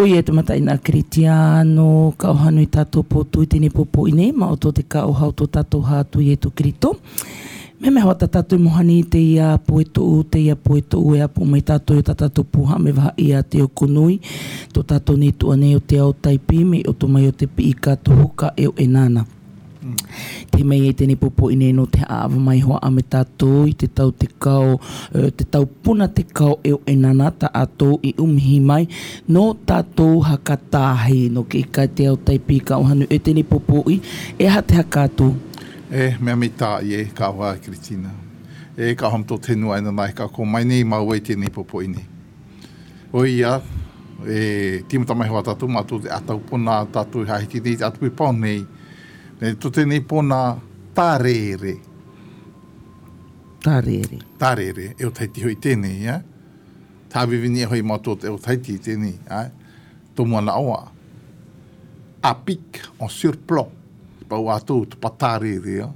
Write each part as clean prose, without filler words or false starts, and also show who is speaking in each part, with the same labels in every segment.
Speaker 1: Ui e te mataina Kiritīano, ka oha nui tātou pō tui tēnei pō pō i nei, ma o tō te ka oha o tō tātou hā tui e tō Kirito. Me mea hoa tā tātou mohani te ia pō e toʻu, te ia pō e toʻu e apo mai tātou i o tā tātou pōha me waha ia te oko nui, tō tātou nei toa nei o te ao taipī me i oto mai o te pii ka tohu ka eo e nāna. Te mei e tēnei pōpō i nei nō te āwa mai hoa a me tātou i te tau tekao, te tau pona tekao e o e nana tā ātou i umihi mai nō tātou haka tāhi nō ke ika te ao taipī ka ohanu e tēnei pōpō i e aha te haka ātou.
Speaker 2: E, mea mi tā i e, ka oha e Kritina. E, ka oha tō te henua e nana e ka ko mai nei māua i tēnei pōpō i nei. O ia, e, tīmata mai hoa tātou mā tō te atau pona tātou i hae ki nei te atu i pao nei, Me to tenei pona tarere.
Speaker 1: Tarere.
Speaker 2: Tarere, e o Tahiti hoi tenei, ia. Tāwiwini e hoi ma to te o Tahiti tenei, ai. To moana oa. A pic, en surplomb. Pau a tou to patarere, ia.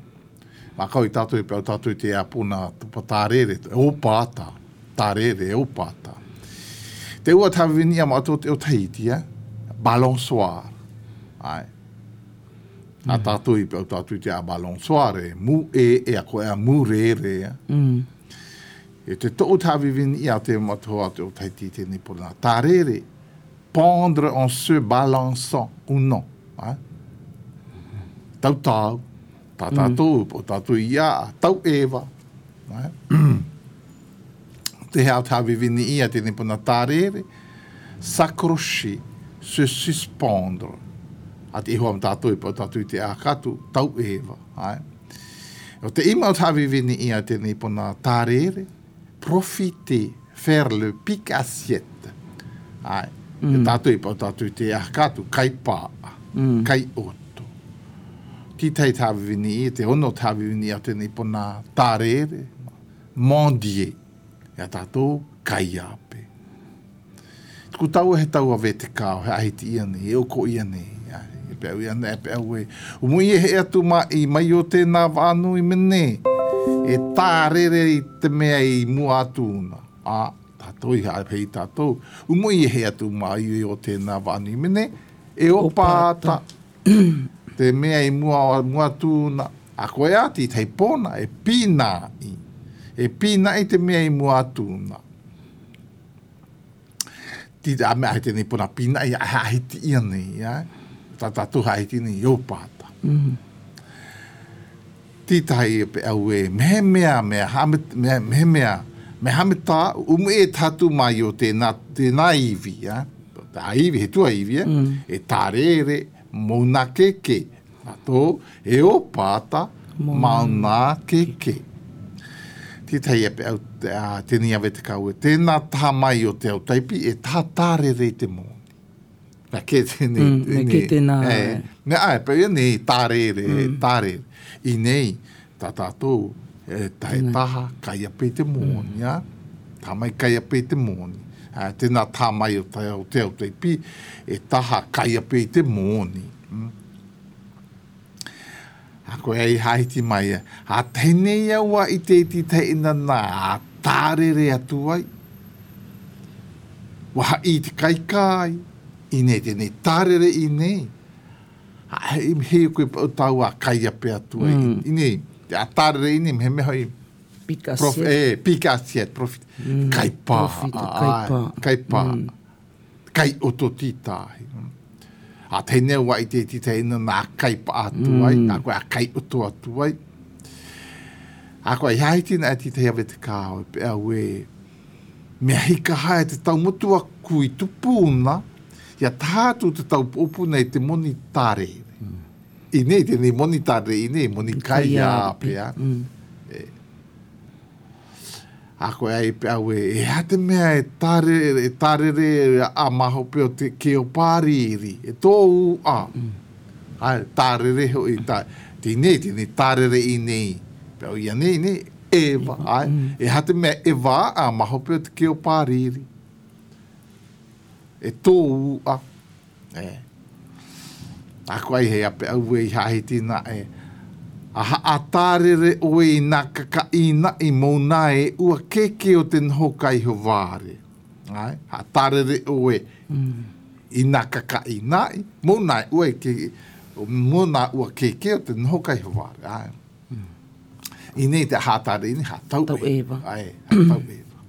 Speaker 2: Ma kau i tātou i pau tātou i te a pona to patarere, e o pāta. Tarere, e o pāta. Te ua tāwiwini a ma to te o Tahiti, ia. Balançoire. Ai. A tātou i pau tātou te a balançoire, mu e e a koe a mu re re. E te to'u tā vivini i a te matoa te o Tahiti tēnei pona. Tā rere, pendre en se balançant ou non. Ai? Tau tāu, tā tātou, o tātou i a, tau Eva. Ai? Te hea tā vivini i a tēnei pona tā rere, s'accrocher, se suspendre. A te iho am tātou i pau tātou i te ākatu, tau Eva. Ai. O te ima o tā vivini i a tēnei pona tā rere, profiter, faire le pic assiette. Ai. Mm. Te tātou i pau tātou i te ākatu, kai pā, mm. kai oto. Titei tā vivini i, te ono tā vivini i a tēnei pona tā rere, mendier, i a tātou kaiape. Ko taua he taua ve te kao, he ahiti ia nei, e oko ia nei, e pe au ia nei, e pe au e. O mui e he atu ma i mai o tēnā wānu i mene, e tārere i te mea i mua atu una. A, tātou i hae hei tātou. O mui e he atu ma i o tēnā wānu i mene, e opa ata te mea i mua, mua atu una. A koe ati hei pōna, e pīnāi. E pīnāi te mea i mua atu una. Ti a mea he tēnei pona pīna'i a hahiti ia nei, ia. Tā tātou hahiti nei, o pāta. Mm -hmm. Ti tahi e pe au e, mehemea, me hame, me, mehemea, me hame tā, umu e tātu mai o tēnā, tēnā iwi, ia. Tā iwi, he tua iwi, e, mm. e tārere, mōna keke, Ato, e o pāta, mauna keke. Tētahi e pe au, a, tēnei awe te kawe, tēnā taha mai o te au taipi e taha tārere i te mōni. Nā kē tēnei, mm,
Speaker 1: tēnei, kē tēnā.
Speaker 2: E, me ai, pe ia nei, tārere, mm. tārere. I nei, tā tātou, e, tae taha, kai a pe te mōni, mm. a? Tā mai kai a pe te mōni. A, tēnā tā mai o te, o te au taipi, e taha kai a pe te mōni. Mm. A koe ai haiti mai, a tenei aua i te iti teina nā, a tārere atu ai. Waha i te kaikai, i nei tenei tārere i nei. A he, he koe pau tau a kai a pe atu ai. Mm. I nei, a tārere i nei, me he mea hoi,
Speaker 1: Pic assiette.
Speaker 2: E, pic assiette, profit. Mm, kai pā.
Speaker 1: Profit, kai pā.
Speaker 2: Kai pā. Mm. Kai oto tītāhi. A teinei wa i te tita ina nā kai pa atu ai, mm. nā koe a kai oto atu ai. A koe i haiti na e tita hea te kāo, e pe au e, mea hika hae te tau motu a kui tupuna, ia tātu te tau pōpu nei te moni tārere. Mm. I nei, tēnei moni tārere, i nei, moni kai a pea. Mm. E. A koe ai pe aue, e hea te mea e tarere, e tarere a mahope o te ke o Pāriiri, e tō ū a. Ai, tarere hoi, ta, tēnei, tēnei tarere i nei, pe au ia nei, nei, e wa, ai, e hea te mea e wā a mahope o te ke o Pāriiri, e tō ū a. E. A koe hei ape aue i hahi tina e. A haʻatārere ʻoe i nā kakaʻīnaʻi mou nae ua keke o te noho kai howāre. Ae, haʻatārere ʻoe i nā kakaʻīnaʻi mou nae ua ke mou nā ua keke o te noho kai howāre. Ae. I nei te hātare ini ha tau
Speaker 1: eva.
Speaker 2: Ae, ha tau eva.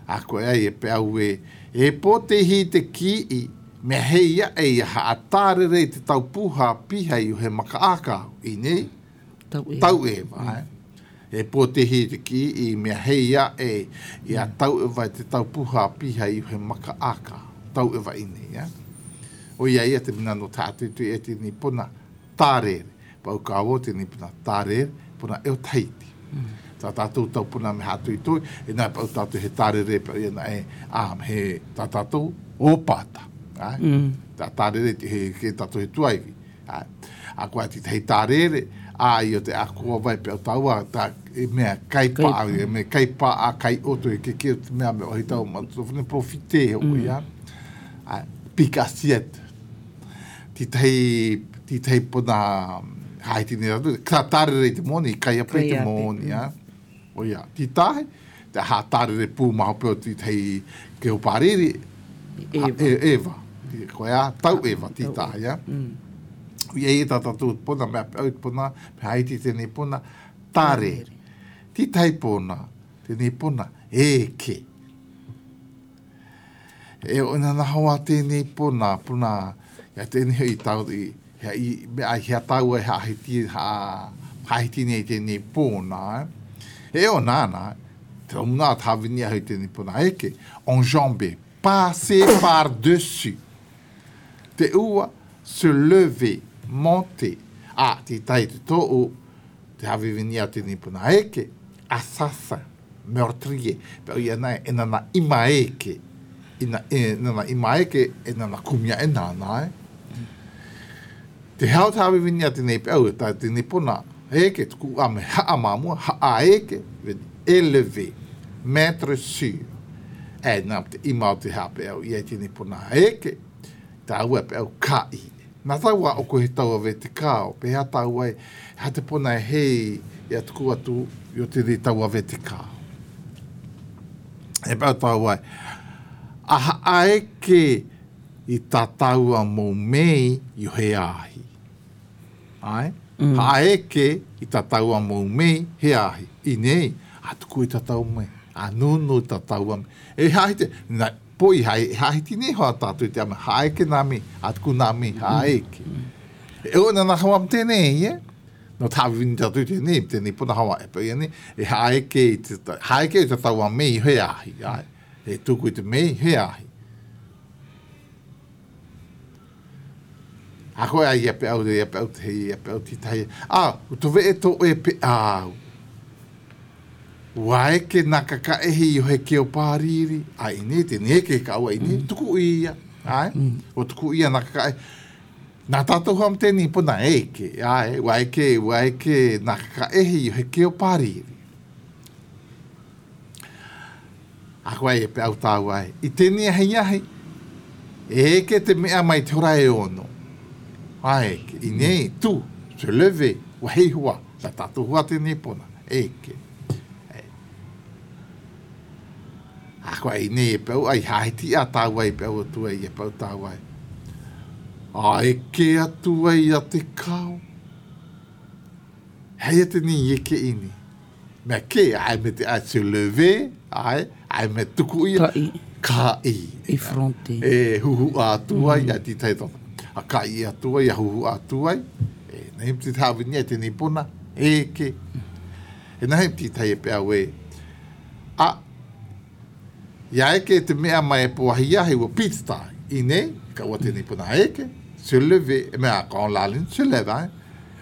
Speaker 2: A koe ai e pe au e, e pō te hi te kii, mea hei ia e ia haatārere i te tau pūhā piha i he maka ākau, i nei,
Speaker 1: tau eva.
Speaker 2: Tau eva, mm. E pō te hi te kii, mea hei ia e, ia tau eva i te tau pūhā piha i he maka ākau, tau eva i nei, ja. O ia ia te mina no tātuitui e tēnei pona, tārere. Pau ka o tēnei puna tārere, puna e o Tahiti. Tā tātou tau puna me hātui toi, e nā pau tātou he tārere pau ia nā e, ā, he tā tātou o pāta. Ai? Mm. Tā tārere he, he tātou he tuaiwi. Ai? A koa ti hei tārere, ā, i o te akoa vai peo taua, tā, e mea kai pā, e mea kai pā a kai oto, e ke ke o te mea me ohi tau, ma tō whane profite he o ia. Ai, pick assiette. Titahi, titahi pona haiti nei rātou, ka tārere i te moni, kai ape i te moni, a. O ia, titahi, te ha tārere pū maho peo titahi ke o pāriri,
Speaker 1: Eva.
Speaker 2: E, Eva. Koe a, tau Eva, titahi, a. Mm. Ia i tā tātou pona, mea au pona, me haiti tēnei pona, tārere. Titahi pona, tēnei pona, e ke. E ona na hoa tēnei pona, pona, ia tēnei i tau, i, hea, i, mea, hea taua e haahiti, ha, haahiti nei tēnei pona, eh. E ona ana, te omuna a tāwini ahau tēnei pona, eke, enjamber, passer par dessus. Te ua, se lever, monter. A, te tai te tōu, te hawiwini a tēnei pona, eke, assassin. Meurtrier, pero ia na e nana ima eke, ina e nana ima eke e nana kumia e nana e. Te hao te hawiwini a tenei pe au e tae tenei pona, eke tuku a me haa mamua, haa eke, elever, mettre sur. E na te ima o te hea pe au ia i tenei pona eke, tāua pe au ka i. Nā taua o koe he taua ve te kao, pehea tāua e, ha te pona e hei i a tuku atu i o tēnei taua ve te kao. E pau tāua e, aha aeke i tā tāua mō mei i o he āhi. Ai? Mm. Ha aeke i tā tāua mō mei he āhi. I nei, a tuku i tā tāua mei, a nūnū i tā tāua mei. E hahi te, na, Po i hai, hahiti nei hoa tātou i te ama, haeke nā mi, a tuku nā mi, haeke. E o nana hawa tēnei, e? No tā wini tātou tēnei, tēnei pona hawa e pau nei, e haeke i te, haeke i te taua mei he ahi, ai. E tuku i te mei he ahi. A koe ai ia pe au, ia pe au, ia pe au titahi. A, u to vee to e pe au. Ua eke nā kakaehi i he keo pārīrī, a ini, tēnei eke ka ua ini, mm. tuku ia, ai, mm. o tuku ia nā kakaehi. Nā tātou hoa tēnei pona eke, ai, ua eke, ua eke nā kakaehi i he keo pārīrī. A koe e pe au tāu ai. I tēnei ahi ahi, e eke te mea mai te hora e ono. Ai, eke, i nei, tu, se lever, ua hei hua, nā tātou hua tēnei pona. Eke. E. A koe i nei e pau, ai haiti a tāu ai pau atu ai e pau tāu ai. A eke atu ai a te kao. Hei a te ni eke ini. Mea ke, ai me te ai se lever, ai, ai me tuku ia.
Speaker 1: Ka i.
Speaker 2: Ka i.
Speaker 1: I fronte.
Speaker 2: E huhu atu ai, mm. ai ti tai A ka i atu ai, a huhu atu ai. E, nei te tāwini ai tēnei pona, eke. E nahi ti tai e pe au e. A, ia eke te mea mai e poahi ahi ua pizza I nei, ka ua tēnei pona eke, se lever, e mea, ka on lalin, se leve, ai.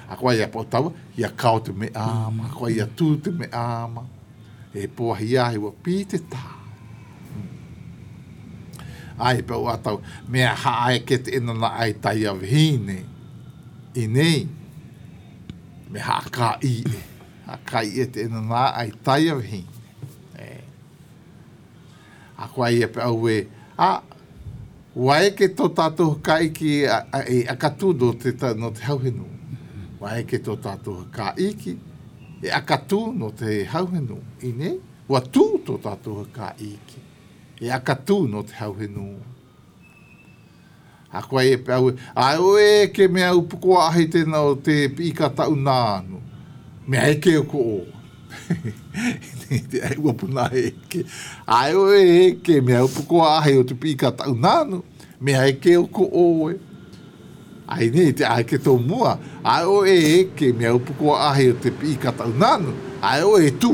Speaker 2: A koa ia po taua, ia kao te me ama, a koa ia tū te me ama. E poahi ahi ua pi te tā. Ai, pe ua tau, mea hae ke te enana ai tai a vihine. I nei, me ha ka i e. Ha ka i e te enana ai tai a vihine. E. A koa ia pe au e, a, ua eke tō tātou kaiki e akatū no te, no te hauhenu. Ua eke tō tātou hakaiki, e akatū no te hauhenu. Ine, ua tū tō tātou hakaiki, e akatū no te hauhenu. A koe e pe au, ai o e ke mea upukoa ahi tēnā o te piika tau nānu. Mea eke o ko o. Te ai ua puna e eke. Ai o e eke mea upukoa ahi o te piika tau nānu. Mea eke o ko oe. Ai nei te ai ke tō mua. Ai o e eke mea upukoa ahi o te piika tau nānu. Ai o e tū.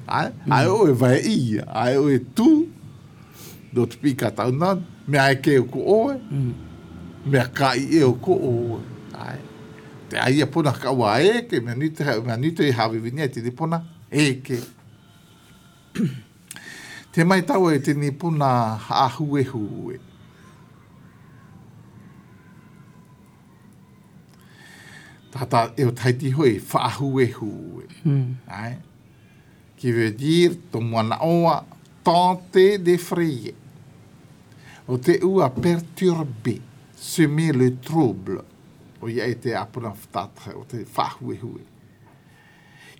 Speaker 2: Ai, ai o e vai ia. Ai o e tū. No te piika tau nānu. Mea eke o ko oe. Mea ka i e o ko oe. Ai. Te ai ia pona ka ua eke. Mea nui te, mea nui te hawiwinia te pona eke. Te mai taua e tenei pona ahuehu e. Tata e o Tahiti hoi, whaahuehu e. Mm. Ai? Qui veut dire, to moana oa, tenter d'effrayer. O te ua perturber, semer le trouble. O ia e te apona whatata, o te whaahuehu e.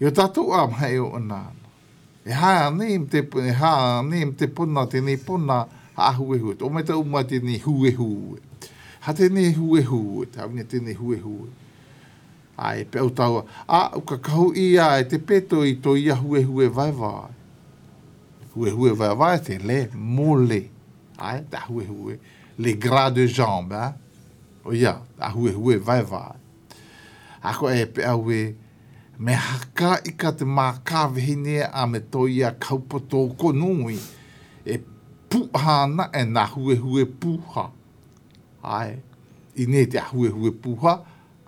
Speaker 2: I o tatou a mahi o ana ana. E ha nei te, e ha nei te pona, tenei pona, ha ahuehu. O mai tau mai tenei huehu. Ha tenei huehu, te hawina tenei huehu. A e pe au taua, a uka kahu ia e te peto i to ia huehue vaevae. Huehue vaevae te le mole. Ai, te huehue. Les gras de jambe, hein? O ia, te huehue vaevae. A ko e pe au e, me haka i ka te mākāwehine a me tō ia kaupa tō nui, e puha ana e nā huehue puha. Ai, i nei te huehue puha,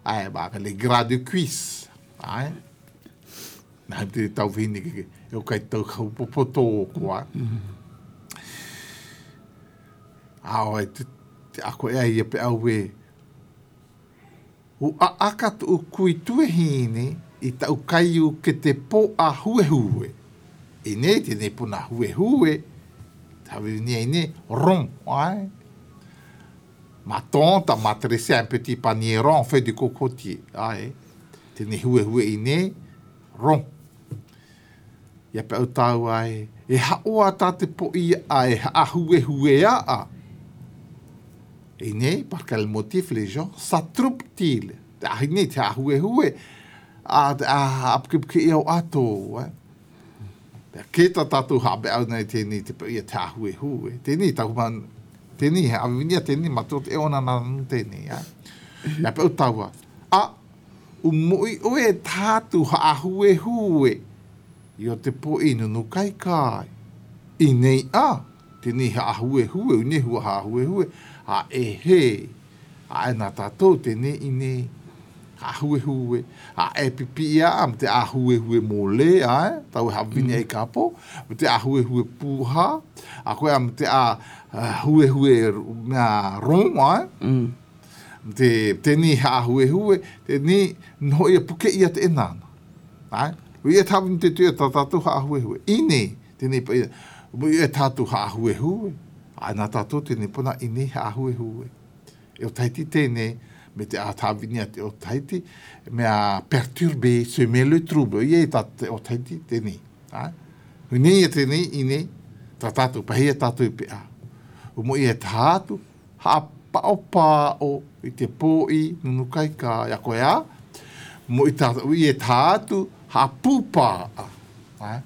Speaker 2: ai, ba, le gras de cuisse. Ai, nā te tauwhine ke, e o kai tau kaupa tō ko, ai. A oi, te, te ako e ai e pe au e, U a aka tu kui tuehine i tau kaiu ke te po a huehue. I nei tēnei puna huehue, te hawinia i nei, rond, ai. Ma tante m'a tressé un petit panier rond fait de cocotier, ai. Tēnei huehue i nei, rond. Ia pe au tāu ai, e haoa tā te po i a e ahuehue a a. I nei, par quel motif les gens s'attroupent-ils? Te ahi nei, te ahuehue, a, a, a puke i au ato, eh? Pea kē tā tātou hape au nei tēnei te ia te ahuehue. Tēnei taku man, tēnei he awinia tēnei ma tō te ona nā tēnei, eh? Ia pe au taua, a, u moi oe tātu ahuehue i o te po i nunu kai kai. I nei a, tēnei he ahuehue, u nei hua ahuehue, a e he, a e nā tātou tēnei i nei ahuehue, a e pipi ia a te ahuehue mō le, ai, tau e hawini e kapo, me te ahuehue pūha, a koe a me te a huehue mea rong, ai, mm. te tēnei he ahuehue, tēnei noho ia puke ia te enana. Ai, ui e tāwini te tuia tā tātou ha ahuehue. I nei, tēnei pa ia, ui e tātou ha ahuehue, ai nā tātou tēnei pona i nei ha ahuehue. E o Tahiti tēnei, me te ātāwinia te o Tahiti, mea perturber, semer le trouble, ia e tā te o Tahiti tēnei. Ai? Ui nei e tēnei, i nei, tā tātou, pahia tātou i pe a. O mo ia e tātu, ha pao pāo i te pō i nunu kai ka, ia koe a, mo i tā, ui e tātu, ha pūpā a. Ai?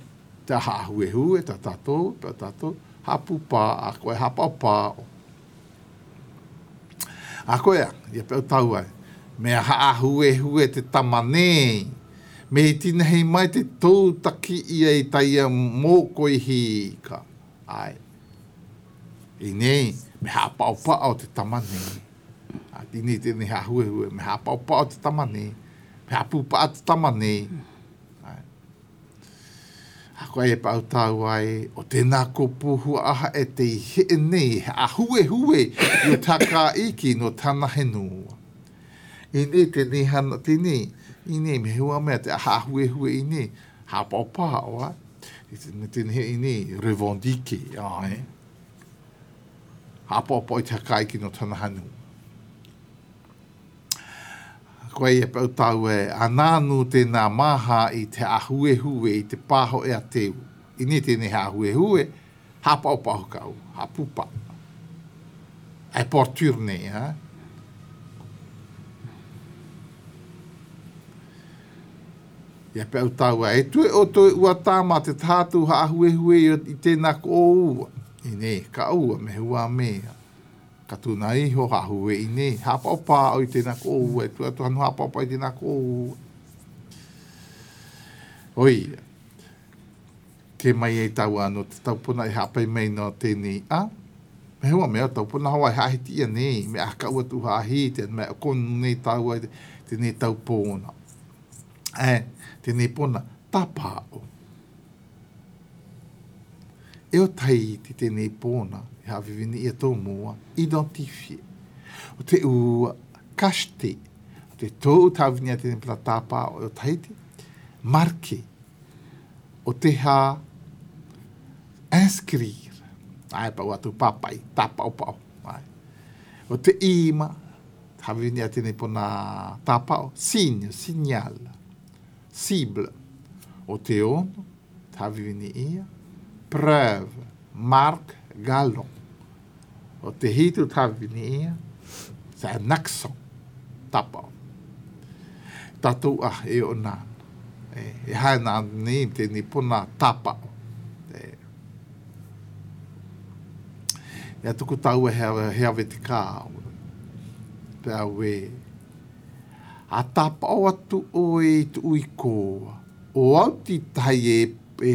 Speaker 2: Te ha huehue, tā tātou, tā tātou, ha pūpā a, koe ha pao pāo. A koe a, ia pe au tau ai, me aha ahuehue te tama nei, me i tinahi mai te tou taki ia i taia mōkoi hīka. Ai. I nei, me hāpaopao te tama nei. A, i nei tēnei hāhuehue, me hāpaopao te tama nei, me hāpūpaa te tama nei. Ai. A koe e pau tāu ai, o tēnā ko pūhua aha e te i hee nei, he ahuehue i o tā kā iki no tāna henua. I nei tēnei hana, tēnei, i nei, me hua mea te aha ahuehue i nei, hāpaopao, ai. Me tēnei i nei, revendique, ai. Hāpaopao i te hakaiki no tāna henua. Koe ia pau tau e anānu tēnā māha i te ahuehue i te pāho e a teu. I nei tēnei he ahuehue, hāpaopaho kau, hāpupa. E portur nei, ha? Ia pe au taua, e tue o toe ua tāma te tātu haahuehue i tēnā ko o ua. I nei, ka ua me hua mea. Ka tūnā iho haahuhue i nei, hāpaopā au i tēnā ko o ua, e tue atu hanu hāpaopa i tēnā ko o ua. Oi, te mai ei taua no te taupona i hāpai mai no tēnei a, me hua mea taupona hawa i haahiti ia nei, me aha ka ua tu haahi, te mea konu nei taua i tēnei taupona. E, tēnei pona, tapao. E o tai te tēnei pōna, e hawhiwhini ia tō mua, identifier. O te ua, cacheter. O te tō tāwini a tēnei pona tāpao e o Tahiti, marquer. O te hā, inscrire. Ai, pau atu papai, tāpao pao. Ai. O te ima, Hawini a tēnei pona tāpao, signe, signal, cible. O te ono, hawini ia, preuve, marque, galon. O te hitu hawini ia, c'est un accent, tāpao. Tātou ah, e o nāna. E, e hae nā nei tēnei pona tāpao. E. Ia tuku taua he, he awe te kā. Te awe. A tāpao atu oe i tu ui kōa. O au ti tai e, e,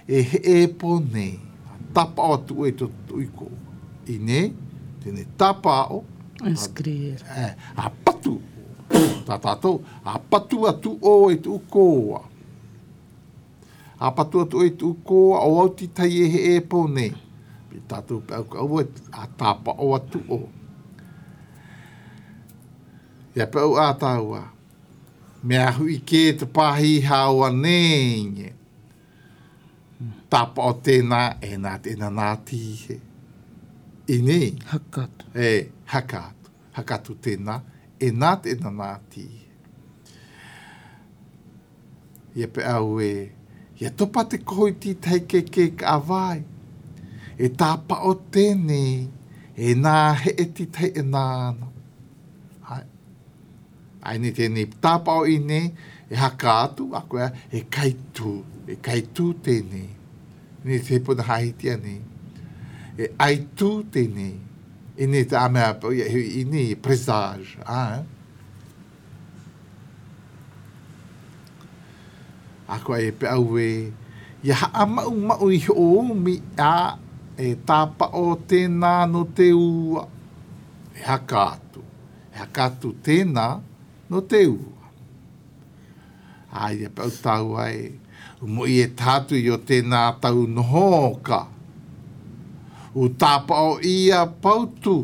Speaker 2: e he e po nei. A tāpao atu oe i tu ui kōa. I nei, tēnei tāpao.
Speaker 1: Inscrire.
Speaker 2: E, a patu. Tā tātou, a patu atu oe i tu kōa. A patu atu oe tu kōa o au ti tai e he e po nei. Pi tātou pe au ka ua a tāpa o atu o. Ia pe au a tāua. Me a hui kē te pāhi hao a nēnge. Tāpa o tēnā, e nā tēnā nā tīhe. I nei.
Speaker 1: Hakatu.
Speaker 2: E, hakatu. Hakatu tēnā, e nā tēnā nā tīhe. Ia pe au e, ia topa te koho i tītahi kēkē ka awai. E tāpao tēnei, e nā hee tītahi e nā ana. Hai. Ai nei tēnei tāpao i nei, e haka atu, a koe, e kai tū, e kai tū tēnei. Nei te puna hahitia nei. E ai tū tēnei. I nei te amea, i nei, presage. Ah, eh? A koa e peʻau e, ia haʻamaʻumaʻu i hoʻoumi a e tāpaʻo tēnā no te ua. E haka atu, e haka atu tēnā no te ua. A ia peʻau tāua e, umoʻi e tātu i o tēnā tau noho ka. U tāpaʻo ia pautu.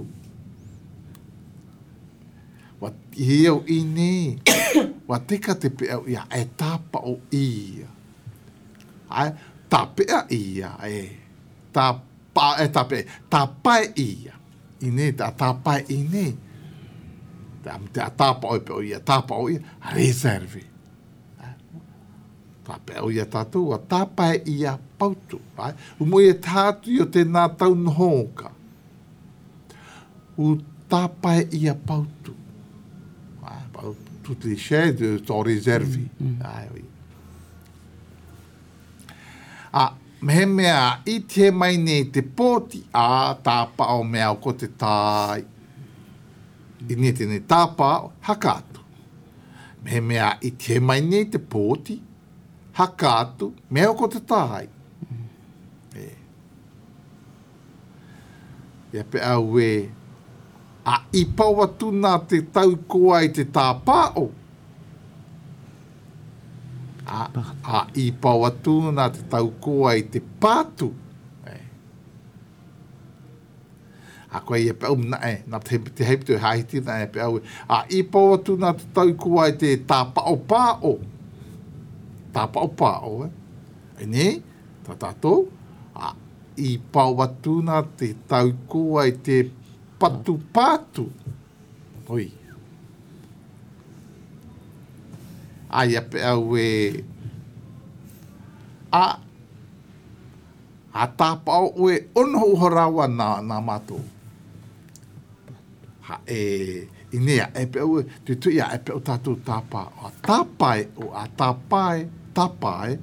Speaker 2: Wa i au i nei, wa teka te peau ia, e tāpao ia. Ai, tāpea ia, e, tā, pa, e tāpea, tāpae ia. I nei, tā tāpae i nei. Te, te a tāpao e peo ia, tāpao ia, reserve. Tā peo ia tātou, wa tāpae ia pautu. Ai, umo i e tātu i o tēnā tau nohoka. U tāpae ia pautu. Ah, toutes les chaises sont réservées. Mm. Ah, oui. Ah, mehemea i te mai nei te pōti, a tāpao mea o ko te tāi. I nei tēnei tāpao, haka atu. Mehemea i te mai nei te pōti, haka atu, mea o ko te tāi. Mm. E. Ia pe au e, a i pau atu nā te tau koa i te tāpāo. A, a i pau atu nā te tau koa i te pātu. E. A koe ia pe au na e, nā te, te heiputu e hāhiti na e pe au e. A i pau atu nā te tau koa i te tāpao pāo. Tāpao pāo e. E nē, tā tātou, a I pao atu na te tau koa i te patu patu. Oi. Aia peʻau e a a tāpaʻo ʻoe ʻono hoʻoharawa na nā mātou. Ha e i nei a e peʻau e tuitui a e peʻau tātou tāpā. A tāpae o a tāpae, tāpae,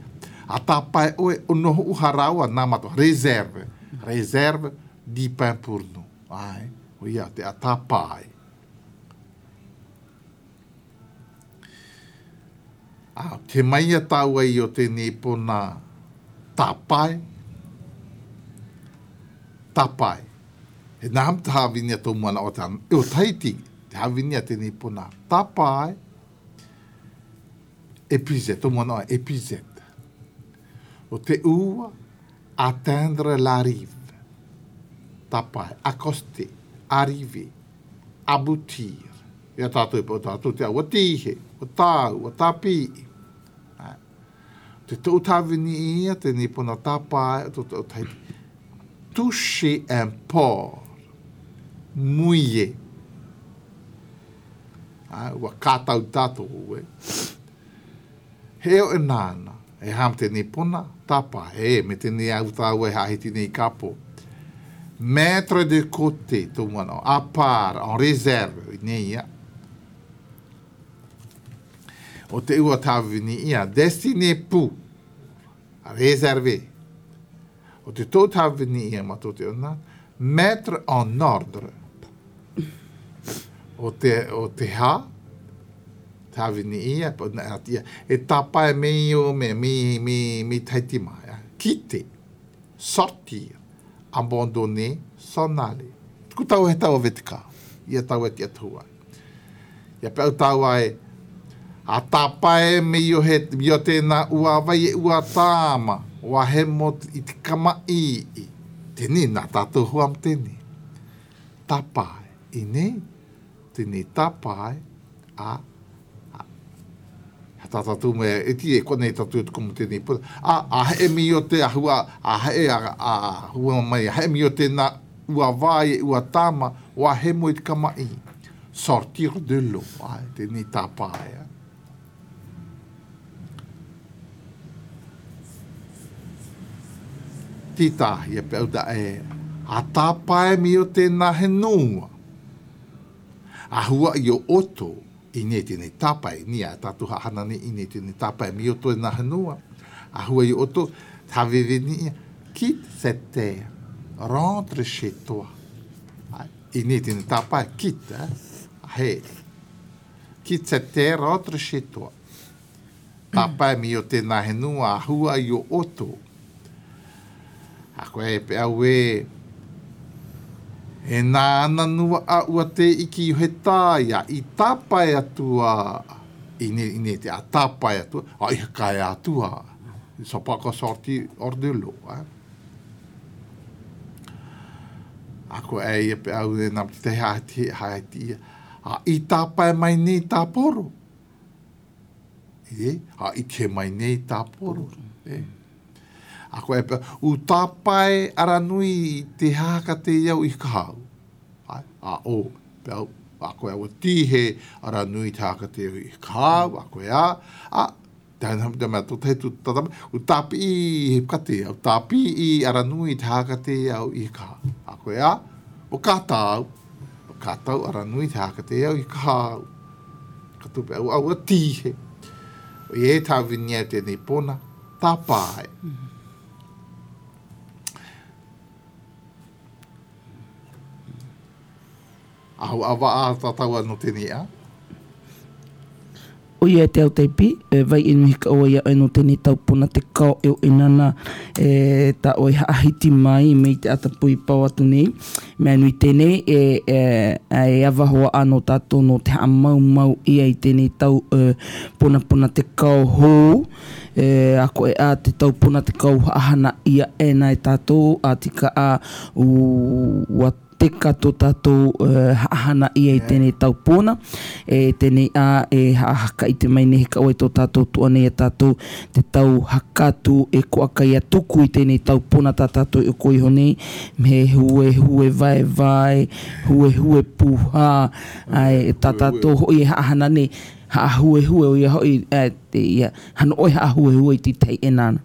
Speaker 2: a tāpae ʻoe ʻono hoʻoharawa nā mātou. Réserve, réserve du pain pour nous. Ai, o ia te a tāpae. A te mai a tāua i o tēnei pona tāpae, tāpae. He nā ham te hāwini a tō moana o te o Tahiti, te hāwini a tēnei pona tāpae, épuisette, tō moana o épuisette. O te ua, atteindre la rive, tāpae, accoster, arriver, aboutir. I a tātou, o tātou te awa tīhe, o tāu, o tāpīi. Te tou tāwini i ia, tēnei pona tāpae, o tō Tahiti. Toucher un port, mouiller. Ua kātau tātou, ue. He eo e nāna, e hām tēnei pona, tāpae, e, me tēnei au tāua e hāhiti nei ka pō. Mettre de côté, tō mana, à part, en réserve, i nei ia. O te ua tāwini ia, destiné pour, réservé. O te tō tāwini ia ma tō te ona, mettre en ordre. O te, o te hā, tāwini ia, ia, e tāpae me i o me, mi, mi, mi taiti mai. Quitter, sortir, abandonner, s'en aller. Ko tau he tau vetika, ia tau e te atua. Ia pe au tau ai, a tāpae me i o he, i o tēnā ua wai e ua tāma, ua hemo i te kama i i. Tēnei nā tātou hua mo tēnei. Tāpae, i nei, tēnei tāpae, a, a, ha tā tātou me, e ti e konei tātou e tuku mo tēnei puna, a, a he mi o te ahua, a he a, a, hua mai, a he mi o tēnā ua wai e ua tāma, ua hemo i te kama i. Sortir de l'eau, ai, tēnei tāpae, a. Tītāhia pe au da e a tāpae mi o tēnā he nōua. A hua i o oto i nei tēnei tāpae, ni a tātou hahana nei i nei tēnei tāpae mi o tō he nōua. A hua i o oto, tā veveni ia, quitte cette terre, rentre chez toi. Ai, i nei tēnei tāpae, quitte, eh? He, quitte cette terre, rentre chez toi. Tāpae mi o tēnā he nua a hua i o oto. A koe e pe au e, e nā ana nua a ua te iki i he tāia, i tāpae atua, i ne, i ne te a tāpae atua, a i hakae atua. Ils sont pas encore sortis hors de l'eau. Hein? A koe e ia pe au e nā te hae hae ia. A i tāpae mai nei tāporo. E, a i te mai nei tāporo. E. A koe e, u tāpae aranui i te hāka te iau i kahau. Ai, a o, pe au, a koe aua tīhe aranui te hāka te iau i kahau, a koe a, a, te hana te mea tō te tu tatame, u tāpi i he kate, u tāpi i aranui te hāka te iau i kahau. A koe a, o kā tāu, o kā tau aranui te hāka te iau i kahau. Ka tupe au aua tīhe. I e tā winia tēnei pona, tā pāe. Ahu awa a tātou anō tēnei a.
Speaker 1: O ia e te ao teipi, e vai e nuhi ka oa ia oe no tenei tau pona te kao e o enana e ta oe haahiti mai me i te ata pui pao atu nei. Mea nui tenei e e awahoa ano tatou no te haamaumau ia i tenei tau ponapona te kao hou e ako e a te tau pona te kao haahana ia ena e tatou a tika a ua teka tō tātou haahana ia i tēnei tau pōna, e tēnei ā, e hahaka i te mai nei he kawa i tō tātou toa nei a tātou te tau hakatu e koa kai a tuku i tēnei tau pōna tā tātou i oko iho nei, he huehue vaevae, huehue pūhā, āe, tā tātou hoʻi e haahana nei, haahuehue o ia hoʻi, āe. te ia hano oe ha huehue i te tei e nana.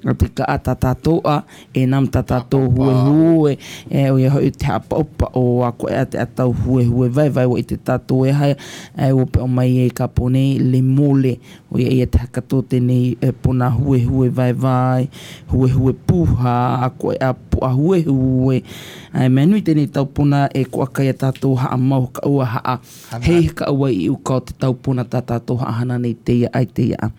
Speaker 1: A te ka a tā tātou a e nam tā tātou huehue e o ia hoi te hapa o a koe a te atau huehue vai vai wa i te tātou e haia e o pe o mai e ka pone le mole o ia ia te hakato tēnei e pona huehue vai vai huehue puha a koe a poa huehue ai mea nui tēnei tau pona e koa kai a tātou haa mau ka ua haa Hei ka ua i uka o te taupona tā tātou haahana nei te ia ai te ia a.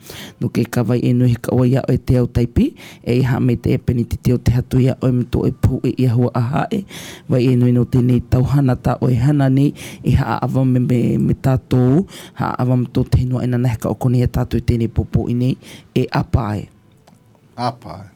Speaker 1: No ke ka vai e nui he ka ua ia oe te au taipi, e i haa me te e peni te te o te hatu ia oe me tō e pou e ia hua a hae. Vai e nui no tēnei tau hana tā oe hana nei i haa awa me me me tātou haa awa me tō te henua e nana he ka okoni ia tātou i tēnei pōpō i nei e apa ai.
Speaker 2: Apa ai.